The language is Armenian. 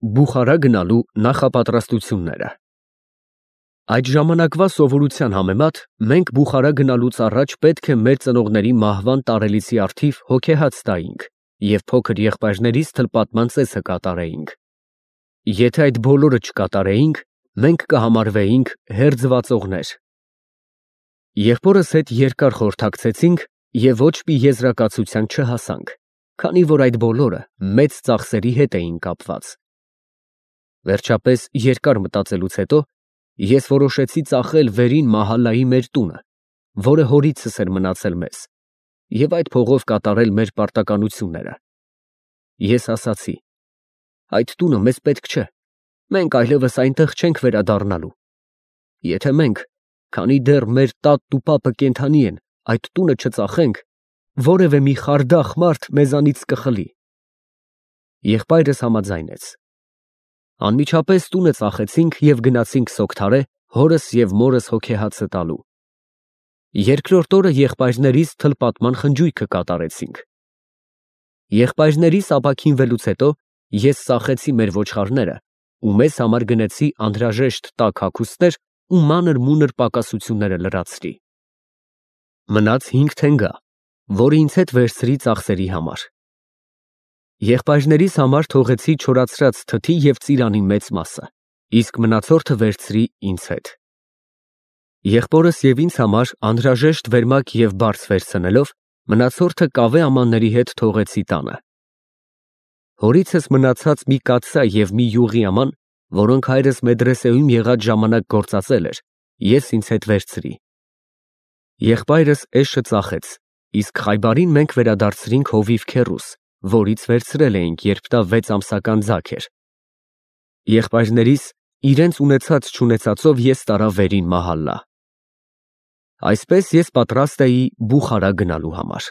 Բուխարա գնալու նախապատրաստությունները։ Այդ ժամանակվա սովորության համեմատ մենք Բուխարա գնալուց առաջ պետք է մեր ծնողների մահվան տարելիցի առթիվ հոգեհաց տայինք և փոքր եղբայրներիս թլպատման ծեսը կատարեինք։ Եթե այդ բոլորը չկատարեինք, մենք կհամարվեինք հերձվածողներ։ Եղբորս հետ երկար խորհրդակցեցինք և ոչ մի եզրակացության չհասանք, քանի որ այդ բոլորը մեծ ծախսերի հետ էին կապված։ Վերջապես, երկար մտածելուց հետո, ես որոշեցի ծախել վերին մահալայի մեր տունը, որը հորիցս էր մնացել մեզ, և այդ փողով կատարել մեր պարտականությունները։ Ես ասացի. այդ տունը մեզ պետք չէ, մենք այլևս այնտեղ չենք վերադառնալու։ Եթե մենք, քանի դեռ մեր տատն ու պապը կենդանի են, այդ տունը չծախենք, որևէ մի խարդախ մարդ մեզանից կխլի։ Եղբայրս համաձայնեց։ Անմիջապես տունը ծախեցինք և գնացինք Սոգթարե հորս և մորս հոգեհացը տալու։ Երկրորդ օրը եղբայրներիս թլպատման խնջույքը կատարեցինք։ Եղբայրներիս ապաքինվելուց հետո ես ծախեցի մեր ոչխարները ու մեզ համար գնեցի անհրաժեշտ տաք հագուստներ ու մանր֊մունր պակասությունները լրացրի։ Մնաց 5 թենգա, որը ինձ հետ վերցրի ծախսերի համար։ Եղբայրներիս համար թողեցի չորացրած թթի և ծիրանի մեծ մասը, իսկ մնացորդը վերցրի ինձ հետ։ Եղբորս և ինձ համար անհրաժեշտ վերմակ և բարձ վերցնելով, մնացորդը կավե ամանների հետ թողեցի տանը։ Հորիցս մնացած մի կաթսա և մի յուղի աման, որոնք հայրս մեդրեսեում եղած ժամանակ գործածել էր, ես ինձ հետ վերցրի։ Եղբայրս էշը ծախեց, իսկ Խայբարին մենք վերադարձրինք հովիվ քեռուս, որից վերցրել էինք, երբ դա 6 ամսական ձագ էր։ Եղբայրներիս իրենց ունեցած֊չունեցածով ես տարա վերին մահալա։ Այսպես ես պատրաստ էի Բուխարա գնալու համար։